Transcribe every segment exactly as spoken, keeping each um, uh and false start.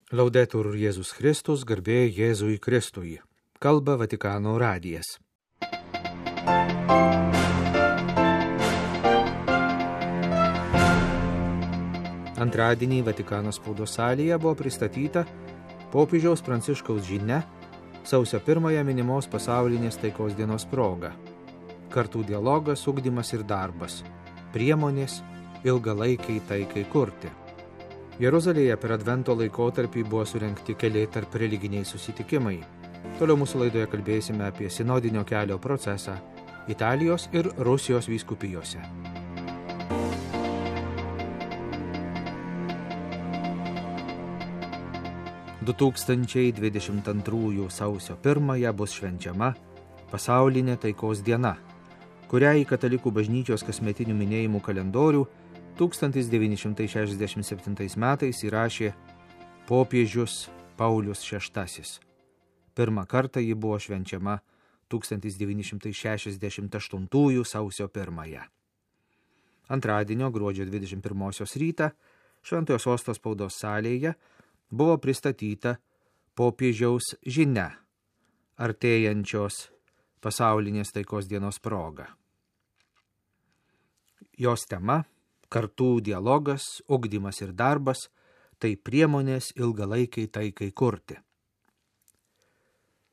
Laudetur Jėzus Kristus, garbė Jėzui Kristui. Kalba Vatikano radijas. Antradienį Vatikano spaudos salėje buvo pristatyta popiežiaus Pranciškaus žinia sausio pirmąją minimos pasaulinės taikos dienos proga. Kartų dialogas, ugdymas ir darbas. Priemonės ilgalaikiai taikai kurti. Jeruzalėje per Advento laikotarpį buvo surengti keli tarp religiniai susitikimai. Toliau mūsų laidoje kalbėsime apie sinodinio kelio procesą Italijos ir Rusijos vyskupijose. du tūkstančiai dvidešimt antrųjų sausio pirmąją bus švenčiama pasaulinė taikos diena, kurią į katalikų bažnyčios kasmetinių minėjimų kalendorių tūkstantis devyni šimtai šešiasdešimt septintais metais įrašė popiežius Paulius šeštasis. Pirmą kartą ji buvo švenčiama tūkstantis devyni šimtai šešiasdešimt aštuntųjų sausio pirmąją. Antradienio gruodžio dvidešimt pirmosios rytą Šventojo Sosto spaudos salėje buvo pristatyta popiežiaus žinia artėjančios pasaulinės taikos dienos proga. Jos tema – kartų dialogas, ugdymas ir darbas, tai priemonės ilgalaikiai taikai kurti.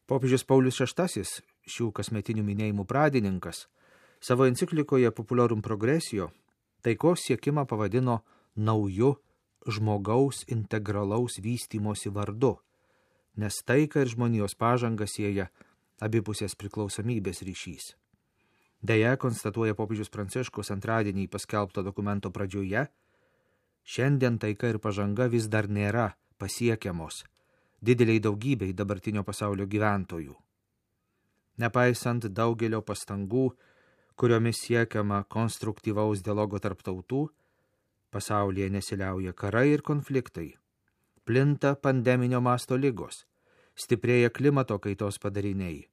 Popiežius Paulius šeštasis, šių kasmetinių minėjimų pradininkas, savo enciklikoje Populorum Progressio taikos siekimą pavadino nauju žmogaus integralaus vystymosi vardu, nes taika ir žmonijos pažanga sieja abipusės priklausomybės ryšys. Deja, konstatuoja popiežius Pranciškus antradienį paskelbto dokumento pradžioje, šiandien taika ir pažanga vis dar nėra pasiekiamos dideliai daugybei dabartinio pasaulio gyventojų. Nepaisant daugelio pastangų, kuriomis siekiama konstruktyvaus dialogo tarp tautų, pasaulyje nesiliauja karai ir konfliktai, plinta pandeminio masto ligos, stiprėja klimato kaitos padariniai,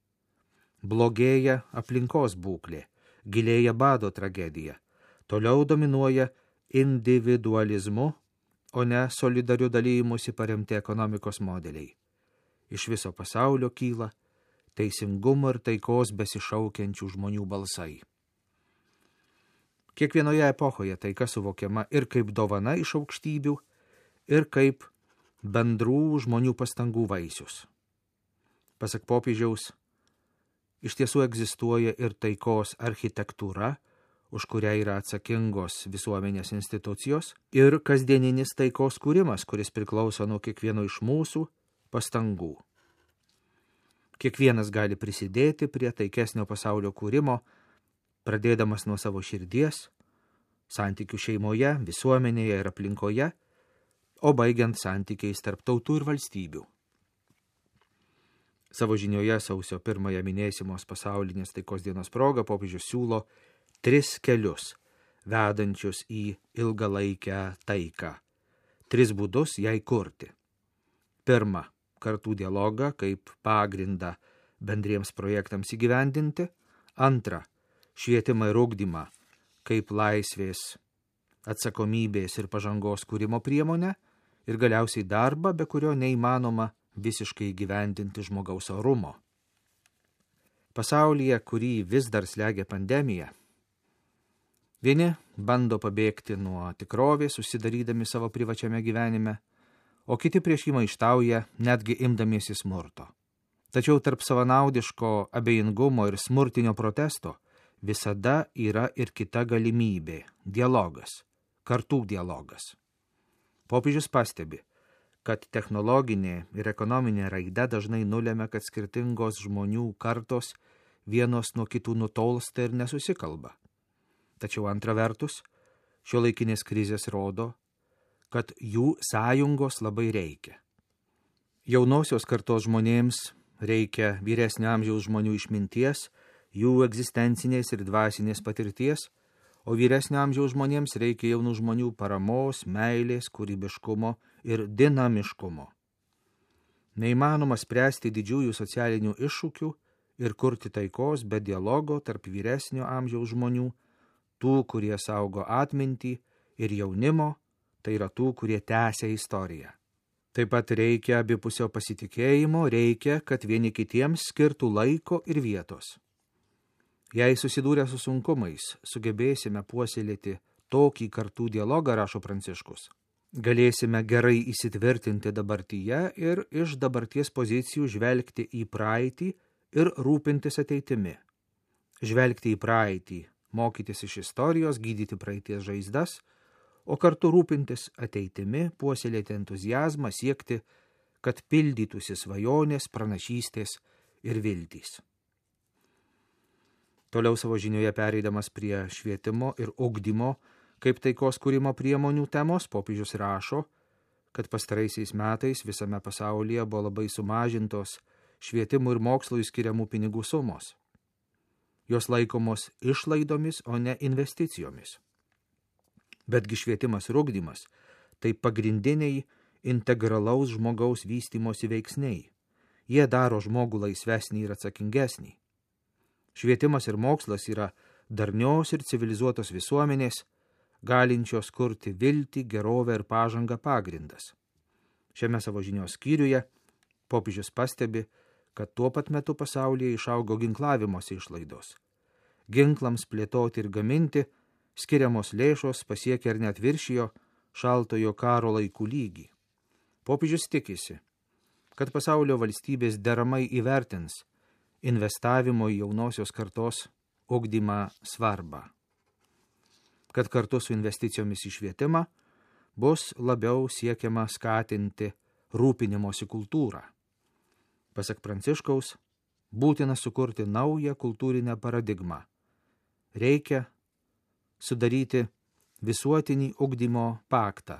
blogėja aplinkos būklė, gilėja bado tragedija, toliau dominuoja individualizmu, o ne solidariu dalymusi paremti ekonomikos modeliai. Iš viso pasaulio kyla teisingumo ir taikos besišaukiančių žmonių balsai. Kiekvienoje epochoje taika suvokiama ir kaip dovana iš aukštybių, ir kaip bendrų žmonių pastangų vaisius. Pasak popiežiaus, iš tiesų egzistuoja ir taikos architektūra, už kurią yra atsakingos visuomenės institucijos, ir kasdieninis taikos kūrimas, kuris priklauso nuo kiekvieno iš mūsų pastangų. Kiekvienas gali prisidėti prie taikesnio pasaulio kūrimo, pradėdamas nuo savo širdies, santykių šeimoje, visuomenėje ir aplinkoje, o baigiant santykiais tarp tautų ir valstybių. Savo žinioje sausio pirmąją minėsimos pasaulinės taikos dienos proga popiežius siūlo tris kelius, vedančius į ilgalaikę taiką. Tris būdus jai kurti. Pirma, kartų dialogą kaip pagrindą bendriems projektams įgyvendinti. Antra, švietimą ir ugdymą kaip laisvės, atsakomybės ir pažangos kūrimo priemonę. Ir galiausiai darbą, be kurio neįmanoma visiškai gyvendinti žmogaus orumo. Pasaulyje, kurį vis dar slegia pandemija, vieni bando pabėgti nuo tikrovės, susidarydami savo privačiame gyvenime, o kiti prieš jį maištauja, netgi imdamiesi smurto. Tačiau tarp savanaudiško abejingumo ir smurtinio protesto visada yra ir kita galimybė – dialogas, kartų dialogas. Popiežius pastebi, kad technologinė ir ekonominė raida dažnai nulemia, kad skirtingos žmonių kartos vienos nuo kitų nutolsta ir nesusikalba. Tačiau antra vertus, šiuolaikinės krizės rodo, kad jų sąjungos labai reikia. Jaunosios kartos žmonėms reikia vyresnio amžiaus žmonių išminties, jų egzistencinės ir dvasinės patirties, o vyresnio amžiaus žmonėms reikia jaunų žmonių paramos, meilės, kūrybiškumo ir dinamiškumo. Neįmanoma spręsti didžiųjų socialinių iššūkių ir kurti taikos be dialogo tarp vyresnio amžiaus žmonių, tų, kurie saugo atmintį, ir jaunimo, tai yra tų, kurie tęsia istoriją. Taip pat reikia abipusio pasitikėjimo, reikia, kad vieni kitiems skirtų laiko ir vietos. Jei susidūrę su sunkumais, sugebėsime puoselėti tokį kartų dialogą, rašo Pranciškus, galėsime gerai įsitvirtinti dabartyje ir iš dabarties pozicijų žvelgti į praeitį ir rūpintis ateitimi. Žvelgti į praeitį, mokytis iš istorijos, gydyti praeities žaizdas, o kartu rūpintis ateitimi, puoselėti entuziazmą, siekti, kad pildytųsi svajonės, pranašystės ir viltys. Toliau savo žinioje pereidamas prie švietimo ir ugdymo kaip taikos kūrimo priemonių temos, popiežius rašo, kad pastaraisiais metais visame pasaulyje buvo labai sumažintos švietimui ir mokslui skiriamų pinigų sumos. Jos laikomos išlaidomis, o ne investicijomis. Betgi švietimas ir ugdymas – tai pagrindiniai integralaus žmogaus vystymosi veiksniai. Jie daro žmogų laisvesnį ir atsakingesnį. Švietimas ir mokslas yra darnios ir civilizuotos visuomenės, galinčios kurti viltį, gerovę ir pažangą pagrindas. Šiame savo žinios skyriuje popiežius pastebi, kad tuo pat metu pasaulyje išaugo ginklavimosi išlaidos. Ginklams plėtoti ir gaminti skiriamos lėšos pasiekia ir net viršijo šaltojo karo laikų lygį. Popiežius tikisi, kad pasaulio valstybės deramai įvertins investavimo į jaunosios kartos ugdymą svarbą. Kad kartu su investicijomis į švietimą bus labiau siekiama skatinti rūpinimosi kultūrą. Pasak Pranciškaus, būtina sukurti naują kultūrinę paradigmą. Reikia sudaryti visuotinį ugdymo paktą,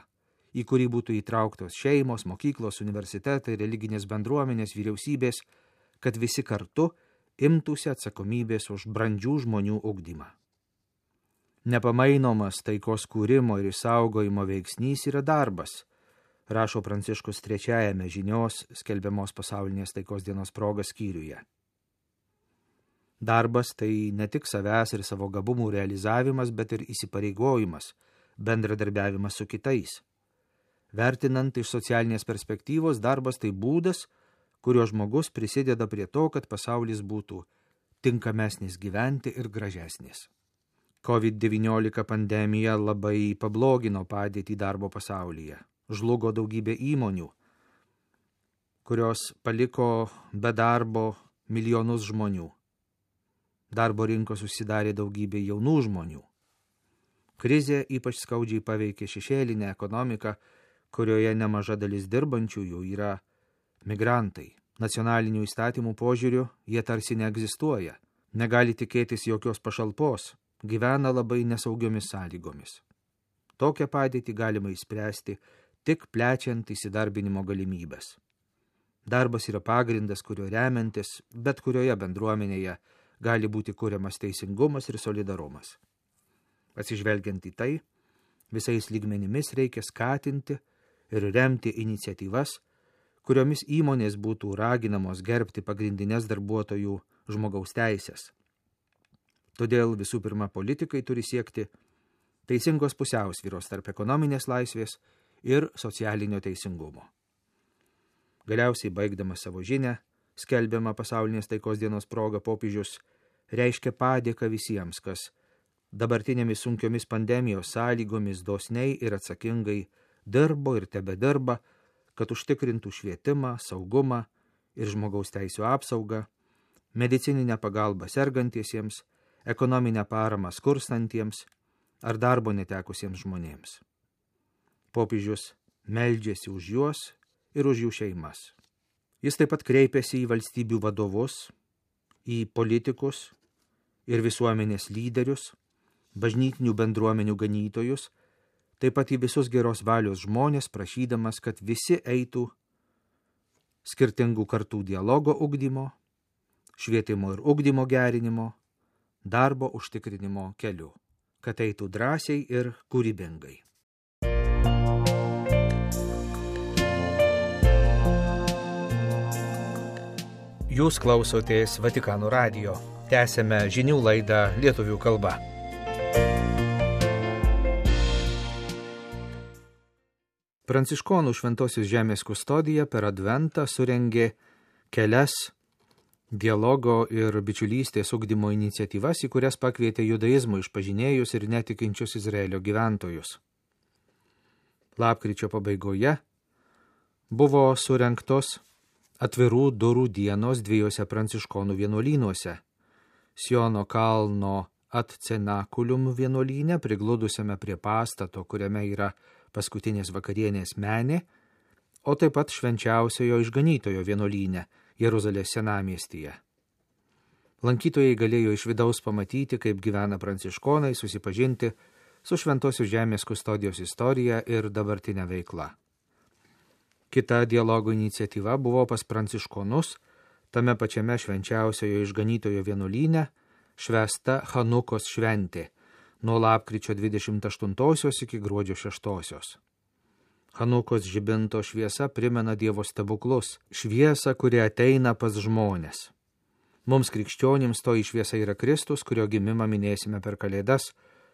į kurį būtų įtrauktos šeimos, mokyklos, universitetai, religinės bendruomenės, vyriausybės, kad visi kartu imtųsi atsakomybės už brandžių žmonių ugdymą. Nepamainomas taikos kūrimo ir išsaugojimo veiksnys yra darbas, rašo Pranciškus trečiajame žinios skelbiamos pasaulinės taikos dienos proga skyriuje. Darbas tai ne tik savęs ir savo gabumų realizavimas, bet ir įsipareigojimas, bendradarbiavimas su kitais. Vertinant iš socialinės perspektyvos, darbas tai būdas, kurio žmogus prisideda prie to, kad pasaulis būtų tinkamesnis gyventi ir gražesnis. covid devyniolika pandemija labai pablogino padėtį darbo pasaulyje. Žlugo daugybė įmonių, kurios paliko be darbo milijonus žmonių. Darbo rinkos susidarė daugybė jaunų žmonių. Krizė ypač skaudžiai paveikė šešėlinę ekonomiką, kurioje nemaža dalis dirbančiųjų yra migrantai. Nacionalinių įstatymų požiūriu jie tarsi neegzistuoja, negali tikėtis jokios pašalpos, gyvena labai nesaugiomis sąlygomis. Tokią padėtį galima išspręsti tik plečiant įsidarbinimo galimybės. Darbas yra pagrindas, kurio remiantis bet kurioje bendruomenėje gali būti kuriamas teisingumas ir solidarumas. Atsižvelgiant į tai, visais lygmenimis reikia skatinti ir remti iniciatyvas, kuriomis įmonės būtų raginamos gerbti pagrindinės darbuotojų žmogaus teisės. Todėl visų pirma politikai turi siekti teisingos pusiausvyros tarp ekonominės laisvės ir socialinio teisingumo. Galiausiai baigdamas savo žinią, skelbiama pasaulinės taikos dienos proga popiežius reiškia padėką visiems, kas dabartinėmis sunkiomis pandemijos sąlygomis dosniai ir atsakingai dirbo ir tebedirba, kad užtikrintų švietimą, saugumą ir žmogaus teisių apsaugą, medicininę pagalbą sergantiesiems, ekonominę paramą skurstantiems ar darbo netekusiems žmonėms. Popiežius meldžiasi už juos ir už jų šeimas. Jis taip pat kreipėsi į valstybių vadovus, į politikus ir visuomenės lyderius, bažnytinių bendruomenių ganytojus, taip pat į visus geros valios žmonės, prašydamas, kad visi eitų skirtingų kartų dialogo ugdymo, švietimo ir ugdymo gerinimo, darbo užtikrinimo keliu, kad eitų drąsiai ir kūrybingai. Jūs klausotės Vatikano radijo. Tęsėme žinių laidą lietuvių kalba. Pranciškonų Šventosios žemės kustodija per Adventą surengė kelias dialogo ir bičiulystės ugdymo iniciatyvas, į kurias pakvietė judaizmo išpažinėjus ir netikinčius Izraelio gyventojus. Lapkričio pabaigoje buvo surengtos atvirų durų dienos dviejose pranciškonų vienuolynuose – Siono kalno Atcenakulium vienuolyne, prigludusiame prie pastato, kuriame yra paskutinės vakarienės menė, o taip pat Švenčiausiojo Išganytojo vienuolyne Jeruzalės senamiestyje. Lankytojai galėjo iš vidaus pamatyti, kaip gyvena pranciškonai, susipažinti su Šventosios žemės kustodijos istorija ir dabartinė veikla. Kita dialogo iniciatyva buvo pas pranciškonus, tame pačiame Švenčiausiojo Išganytojo vienuolyne švęsta Chanukos šventė nuo lapkričio dvidešimt aštuntosios iki gruodžio šeštosios. Chanukos žibinto šviesa primena Dievo stebuklus, šviesą, kuri ateina pas žmones. Mums krikščionims toji šviesa yra Kristus, kurio gimimą minėsime per Kalėdas.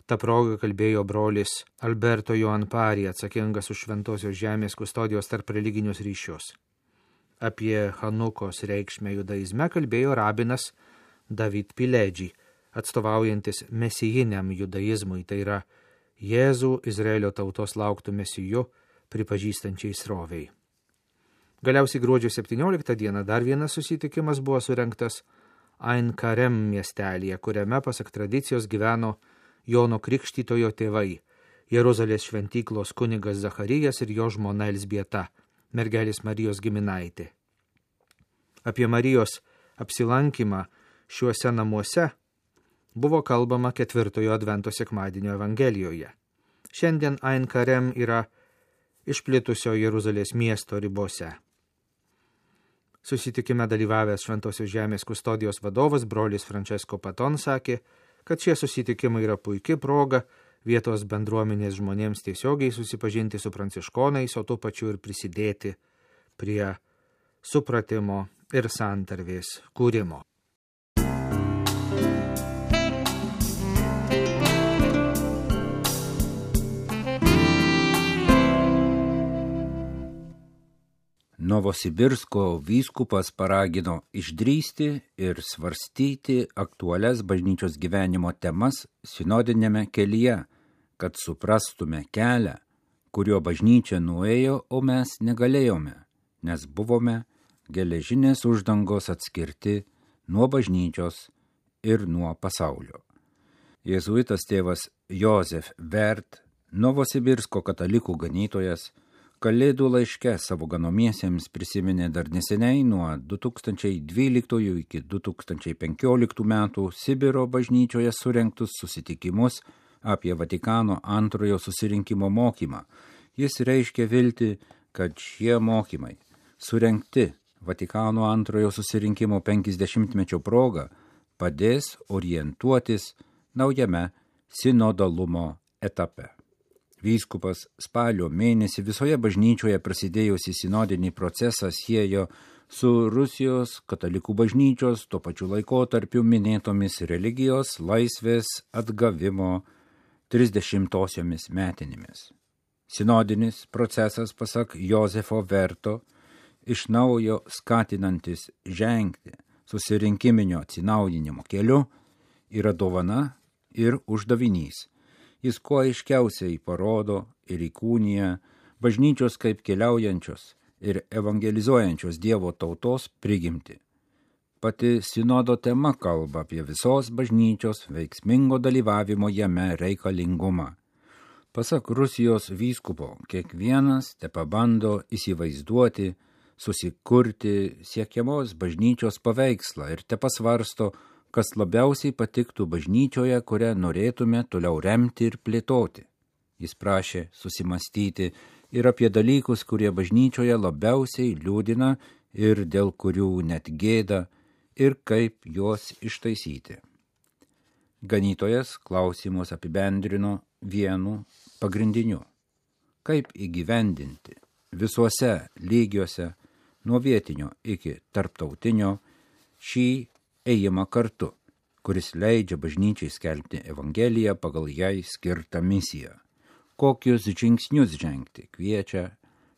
Ta proga kalbėjo brolis Alberto Joanpari, atsakingas už Šventosios žemės kustodijos tarp religinius ryšius. Apie Chanukos reikšmę judaizme kalbėjo rabinas David Piledži, atstovaujantis mesijiniam judaizmui, tai yra Jėzų Izraelio tautos lauktų mesiju pripažįstančiai sroviai. Galiausiai gruodžio septynioliktą dieną dar vienas susitikimas buvo surengtas Ain Karem miestelyje, kuriame pasak tradicijos gyveno Jono Krikštytojo tėvai, Jeruzalės šventyklos kunigas Zacharijas ir jo žmona Elzbieta, mergelės Marijos giminaitė. Apie Marijos apsilankymą šiuose namuose buvo kalbama ketvirtojo Advento sekmadienio Evangelijoje. Šiandien Ain Karem yra išplitusio Jeruzalės miesto ribose. Susitikime dalyvavęs Šventosios žemės kustodijos vadovas brolis Francesco Paton sakė, kad šie susitikimai yra puikia proga vietos bendruomenės žmonėms tiesiogiai susipažinti su pranciškonais, o tuo pačiu ir prisidėti prie supratimo ir santarvės kūrimo. Novosibirsko vyskupas paragino išdrįsti ir svarstyti aktualias bažnyčios gyvenimo temas sinodinėme kelyje, kad suprastume kelią, kurio bažnyčia nuėjo, o mes negalėjome, nes buvome geležinės uždangos atskirti nuo bažnyčios ir nuo pasaulio. Jėzuitas tėvas Josef Vert, Novosibirsko katalikų ganytojas, Kalėdų laiške savo ganomiesiems prisiminė dar neseniai nuo du tūkstančiai dvyliktųjų iki du tūkstančiai penkioliktų metų Sibiro bažnyčioje surengtus susitikimus apie Vatikano antrojo susirinkimo mokymą. Jis reiškia viltį, kad šie mokymai, surengti Vatikano antrojo susirinkimo penkiasdešimtmečio proga, padės orientuotis naujame sinodalumo etape. Vyskupas spalio mėnesį visoje bažnyčioje prasidėjusi sinodinį procesą siejo su Rusijos katalikų bažnyčios tuo pačiu laikotarpiu minėtomis religijos laisvės atgavimo trisdešimtosiomis metinėmis. Sinodinis procesas, pasak Josefo Verto, iš naujo skatinantis žengti susirinkiminio atsinaujinimo keliu, yra dovana ir uždavinys. Jis kuo aiškiausiai parodo ir įkūnija bažnyčios kaip keliaujančios ir evangelizuojančios Dievo tautos prigimtį. Pati sinodo tema kalba apie visos bažnyčios veiksmingo dalyvavimo jame reikalingumą. Pasak Rusijos vyskupo, kiekvienas tepabando įsivaizduoti, susikurti siekiamos bažnyčios paveikslą ir tepasvarsto, kas labiausiai patiktų bažnyčioje, kurią norėtume toliau remti ir plėtoti. Jis prašė susimastyti ir apie dalykus, kurie bažnyčioje labiausiai liūdina ir dėl kurių net gėda, ir kaip juos ištaisyti. Ganytojas klausimus apibendrino vienu pagrindiniu. Kaip įgyvendinti visuose lygiuose, nuo vietinio iki tarptautinio, šį ėjimą kartu, kuris leidžia bažnyčiai skelbti Evangeliją pagal jai skirtą misiją. Kokius žingsnius žengti kviečia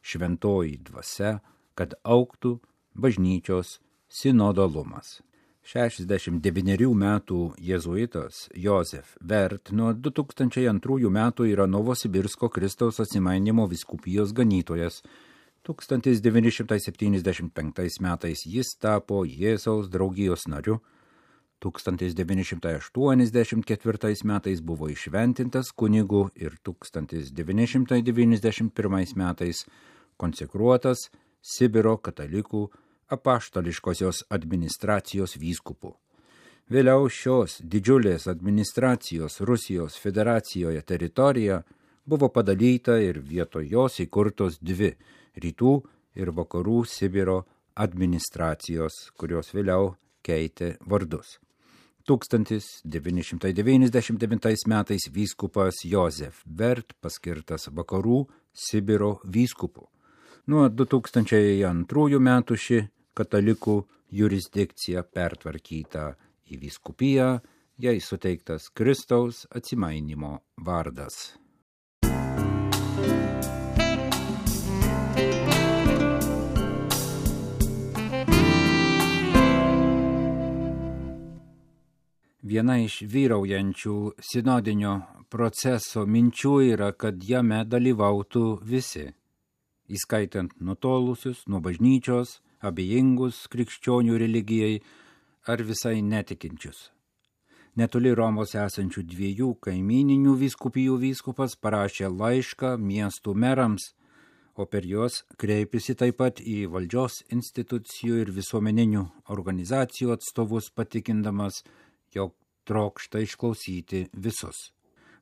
šventoji dvasia, kad augtų bažnyčios sinodalumas. šešiasdešimt devynerių metų jėzuitas Josef Vert nuo du tūkstančiai antrųjų metų yra Novosibirsko Kristaus Atsimainymo vyskupijos ganytojas. tūkstantis devyni šimtai septyniasdešimt penktais metais jis tapo Jėzaus draugijos nariu. tūkstantis devyni šimtai aštuoniasdešimt ketvirtais metais buvo išventintas kunigu ir tūkstantis devyni šimtai devyniasdešimt pirmais metais konsekruotas Sibiro katalikų apaštališkosios administracijos vyskupu. Vėliau šios didžiulės administracijos Rusijos federacijoje teritorija buvo padalyta ir vietoj jos įkurtos dvi rytų ir vakarų Sibiro administracijos, kurios vėliau keitė vardus. tūkstantis devyni šimtai devyniasdešimt devintais metais vyskupas Josef Vert paskirtas vakarų Sibiro vyskupu. Nuo du tūkstančiai antrųjų metų ši katalikų jurisdikcija pertvarkyta į vyskupiją, jai suteiktas Kristaus Atsimainymo vardas. Viena iš vyraujančių sinodinio proceso minčių yra, kad jame dalyvautų visi, įskaitant nutolusius nuo bažnyčios, abejingus krikščionių religijai ar visai netikinčius. Netoli Romos esančių dviejų kaimyninių vyskupijų vyskupas parašė laišką miestų merams, o per juos kreipėsi taip pat į valdžios institucijų ir visuomeninių organizacijų atstovus, patikindamas, jog trokšta išklausyti visus.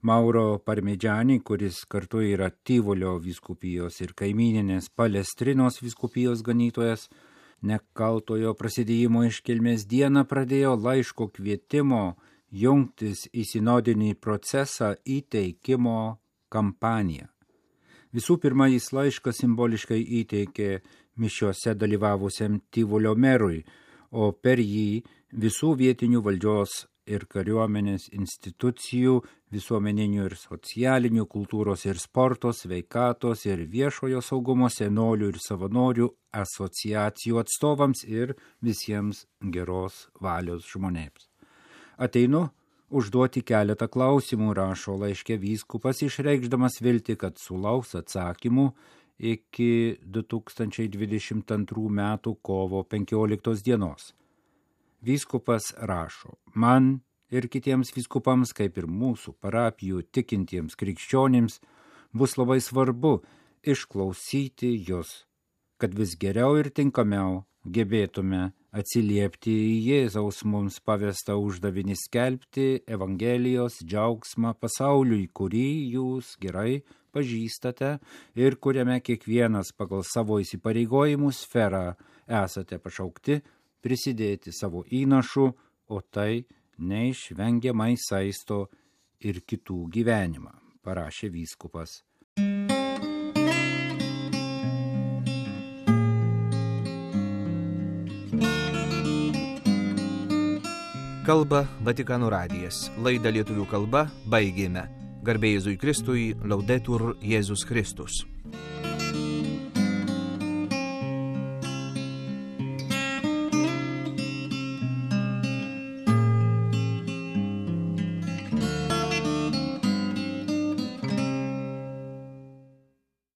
Mauro Parmidžiani, kuris kartu yra Tyvolio vyskupijos ir kaimyninės Palestrinos vyskupijos ganytojas, nekaltojo prasidėjimo iškilmės dieną pradėjo laiško kvietimo jungtis į sinodinį procesą įteikimo kampaniją. Visų pirma, jis laišką simboliškai įteikė mišiose dalyvavusiam Tyvolio merui, o per jį visų vietinių valdžios ir kariuomenės institucijų, visuomeninių ir socialinių, kultūros ir sporto, sveikatos ir viešojo saugumo, senolių ir savanorių asociacijų atstovams ir visiems geros valios žmonėms. Ateinu užduoti keletą klausimų, rašo laiške vyskupas, išreikšdamas viltį, kad sulauks atsakymų iki du tūkstančiai dvidešimt antrų metų kovo penkioliktos dienos. Vyskupas rašo, man ir kitiems vyskupams, kaip ir mūsų parapijų tikintiems krikščionims, bus labai svarbu išklausyti jus, kad vis geriau ir tinkamiau gebėtume atsiliepti į Jėzaus mums pavestą uždavinį skelbti Evangelijos džiaugsmą pasauliui, kurį jūs gerai pažįstate ir kuriame kiekvienas pagal savo įsipareigojimų sferą esate pašaukti prisidėti savo įnašu, o tai neišvengiamai saisto ir kitų gyvenimą, parašė vyskupas. Kalba Vatikano radijas. Laidą lietuvių kalba baigėme. Garbė Jėzui Kristui, Laudetur Jėzus Kristus.